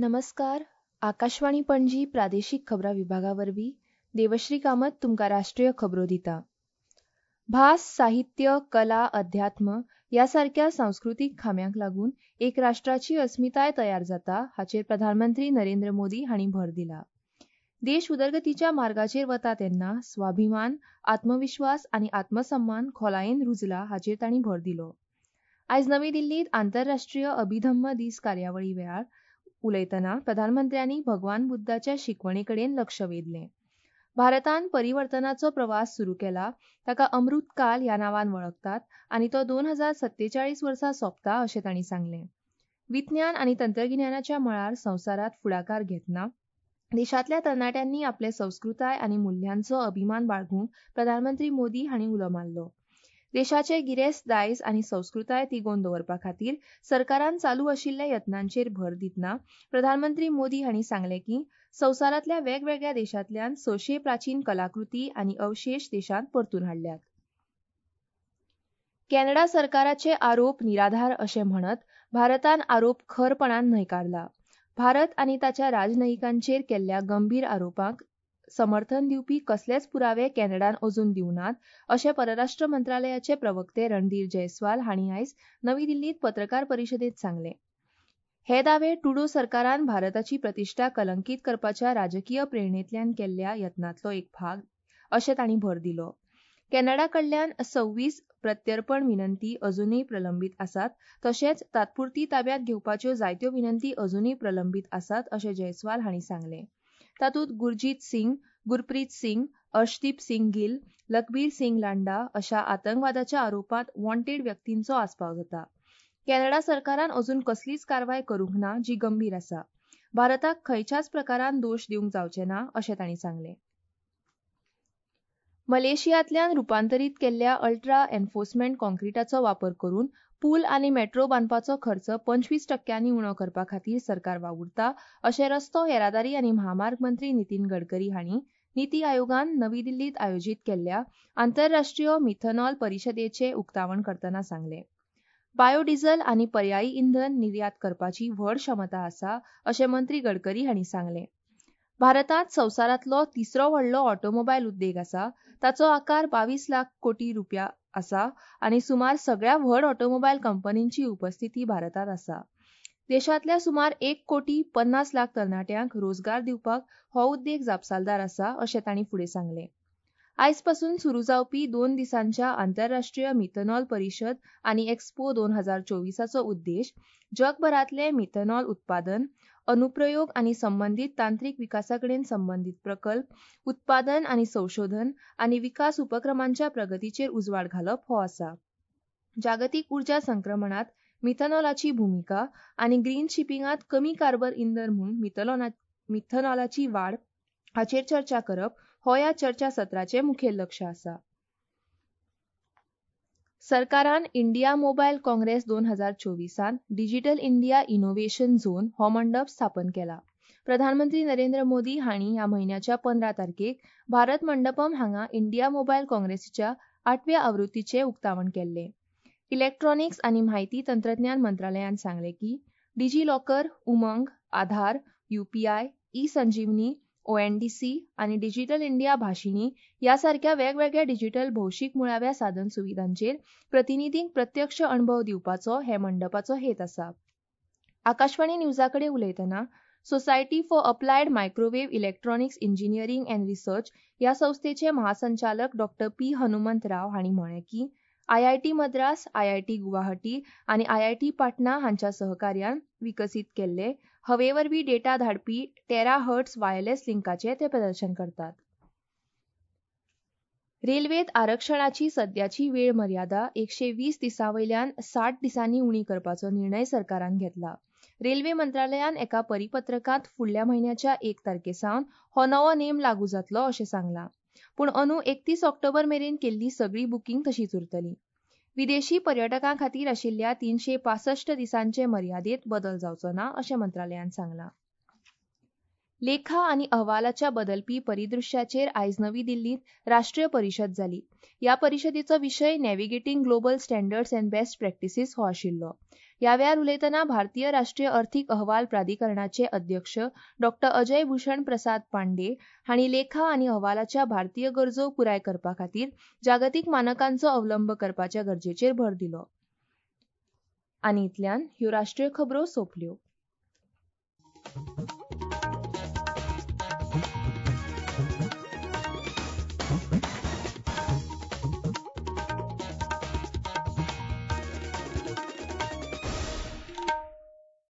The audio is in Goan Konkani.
नमस्कार. आकाशवाणी पणजी प्रादेशीक खबरां विभागा वरवीं देवश्री कामत तुमकां राष्ट्रीय खबरो दिता. भास, साहित्य, कला, अध्यात्म ह्या सारक्या सांस्कृतीक खांब्यांक लागून एक राष्ट्राची अस्मिताय तयार जाता हाचेर प्रधानमंत्री नरेंद्र मोदी हांणी भर दिला. देश उदरगतीच्या मार्गाचेर वता तेन्ना स्वाभिमान, आत्मविश्वास आनी आत्मसम्मान खोलायेन रुजला हाचेर तांणी भर दिलो. आयज नवी दिल्लींत आंतरराष्ट्रीय अभिधम्म दीस कार्यावळी वेळार उलयतना प्रधानमंत्र्यांनी भगवान बुद्धाच्या शिकवणे कडेन लक्ष वेधलें. भारतान परिवर्तनाचो प्रवास सुरू केला ताका अमृत काल ह्या नांवान वळखतात आनी तो 2047 वर्सा सोंपता अशें तांणी सांगलें. विज्ञान आनी तंत्रगिन्यानाच्या मळार संवसारांत फुडाकार घेतना देशांतल्या तरणाट्यांनी आपले संस्कृताय आनी मुल्यांचो अभिमान बाळगूंक प्रधानमंत्री मोदी हांणी उलो मारलो. देशाचे गिरेस्त दायज आनी संस्कृताय तिगोवन दवरपा खातीर सरकारान चालू आशिल्ल्या यत्नांचेर भर दितना प्रधानमंत्री मोदी हांणी सांगलें की संवसारांतल्या वेगवेगळ्या देशांतल्यान 600 प्राचीन कलाकृती आनी अवशेश देशांत परतून हाडल्यात. कॅनडा सरकाराचे आरोप निराधार अशें म्हणत भारतान आरोप खरपणान न्हयकारला. भारत आनी ताच्या राजनयिकांचेर केल्ल्या गंभीर आरोपांक समर्थन दिवपी कसलेच पुरावे कॅनडान अजून दिवनात अशें परराष्ट्र मंत्रालयाचे प्रवक्ते रणधीर जयस्वाल हांणी आयज नवी दिल्लींत पत्रकार परिशदेंत सांगलें. हे दावे ट्रुडो सरकारान भारताची प्रतिश्ठा कलंकीत करपाच्या राजकीय प्रेरणेंतल्यान केल्ल्या यत्नांतलो एक भाग अशें तांणी भर दिलो. कॅनडा कडल्यान 26 प्रत्यर्पण विनंती अजुनूय प्रलंबीत आसात तशेंच तात्पुरती ताब्यांत घेवपाच्यो जायत्यो विनंती अजुनूय प्रलंबीत आसात अशें जयस्वाल हांणी सांगलें. तातूंत गुरजीत सिंग, गुरप्रीत सिंग, अर्शदीप सिंग गिल, लखबीर सिंग लांडा अशा आतंकवादाच्या आरोपांत वॉन्टेड व्यक्तींचो आस्पाव जाता. कॅनडा सरकारान अजून कसलीच कारवाय करूंक ना जी गंभीर आसा. भारताक खंयच्याच प्रकारान दोश दिवंक जावचे ना अशें तांणी सांगलें. मलेशियांतल्यान रुपांतरीत केल्ल्या अल्ट्रा एन्फोर्समेंट कॉन्क्रिटाचो वापर करून पूल आनी मेट्रो बांदपाचो खर्च 25% उणो करपा खातीर सरकार वावुरता अशें रस्तो येरादारी आनी म्हामार्ग मंत्री नितीन गडकरी हांणी निती आयोगान नवी दिल्लींत आयोजीत केल्ल्या आंतरराष्ट्रीय मिथनॉल परिशदेचें उक्तावण करतना सांगलें. बायोडिझल आनी पर्यायी इंधन निर्यात करपाची व्हड क्षमता आसा अशें मंत्री गडकरी हांणी सांगलें. भारतांत संवसारांतलो तिसरो व्हडलो ऑटोमोबायल उद्देग आसा. ताचो आकार 22 लाख कोटी रुपया आसा आनी सुमार सगळ्या व्हड ऑटोमोबायल कंपनींची उपस्थिती भारतांत आसा. देशांतल्या सुमार 1,50,00,000 तरणाट्यांक रोजगार दिवपाक हो उद्देग जापसालदार आसा अशें तांणी फुडें सांगलें. आयजपासून सुरू जावपी 2 दिसांच्या आंतरराष्ट्रीय मिथनॉल परिशद आनी एक्स्पो 2024 उद्देश जगभरांतले मिथनॉल उत्पादन, अनुप्रयोग आनी संबंदीत तांत्रिक विकासाकडेन संबंदीत प्रकल्प, उत्पादन आनी संशोधन आनी विकास उपक्रमांच्या प्रगतीचेर उजवाड घालप हो आसा. जागतीक उर्जा संक्रमणांत मिथनॉलाची भुमिका आनी ग्रीन शिपिंगांत कमी कार्बन इंधन म्हूण मिथनॉलाची वाड हाचेर चर्चा करप हो ह्या चर्चा सत्राचें मुखेल लक्ष आसा. सरकारान India mobile Congress 2024 digital India innovation zone हो मंडप स्थापन केला. प्रधानमंत्री नरेंद्र मोदी हांणी ह्या म्हयन्याच्या 15 तारखेक भारत मंडपम हांगा इंडिया मोबायल काँग्रेसीच्या 8व्या आवृत्तीचें उक्तावण केल्लें. इलेक्ट्रॉनिक्स आनी म्हायती तंत्रज्ञान मंत्रालयान सांगलें की DigiLocker, Umang, Aadhaar, UPI, e Sanjeevani, ONDC आनी डिजिटल इंडिया भाशिणी ह्या सारक्या वेगवेगळ्या डिजिटल भौशीक मुळाव्या साधन सुविधांचेर प्रतिनिधींक प्रत्यक्ष अणभव दिवपाचो हे मंडपाचो हेत आसा. आकाशवाणी न्यूजा कडेन उलयतना society for applied microwave electronics engineering and research ह्या संस्थेचे महासंचालक डॉ. पी. हनुमंत राव हांणी म्हळें की आयआयटी मद्रास, आयआयटी गुवाहाटी आनी आयआयटी पाटणा हांच्या सहकार्यान विकसीत केल्ले हवेवरवीं डेटा धाडपी टेरा हर्ट्स वायरलेस लिंकाचें ते प्रदर्शन करतात. रेल्वेत आरक्षणाची सद्याची वेळ मर्यादा 120 दिसां वयल्यान 60 दिसांनी उणी करपाचो निर्णय सरकारान घेतला. रेल्वे मंत्रालयान एका परिपत्रकांत फुडल्या म्हयन्याच्या 1 तारखे सावन हो नवो नेम लागू जातलो अशें सांगलां. पूण अंदू 31 ऑक्टोबर मेरेन केल्ली सगळी बुकींग तशीच उरतली. विदेशी पर्यटकां खातीर आशिल्ल्या 365 दिसांचे मर्यादेत बदल जावचो ना अशें मंत्रालयान सांगलां. लेखा आनी अहवालाच्या बदलपी परिदृश्याचेर आयज नवी दिल्लींत राष्ट्रीय परिशद जाली. ह्या परिशदेचो विशय navigating global standards and best practices हो आशिल्लो. ह्या वेळार उलयतना भारतीय राष्ट्रीय अर्थीक अहवाल प्राधिकरणाचे अध्यक्ष डॉ अजय भूषण प्रसाद पांडे हांणी लेखा आनी अहवालाच्या भारतीय गरजो पुराय करपा खातीर जागतीक मानकांचो अवलंब करपाच्या गरजेचेर भर दिलो. आनी इतल्यान ह्यो राष्ट्रीय खबरो सोंपल्यो.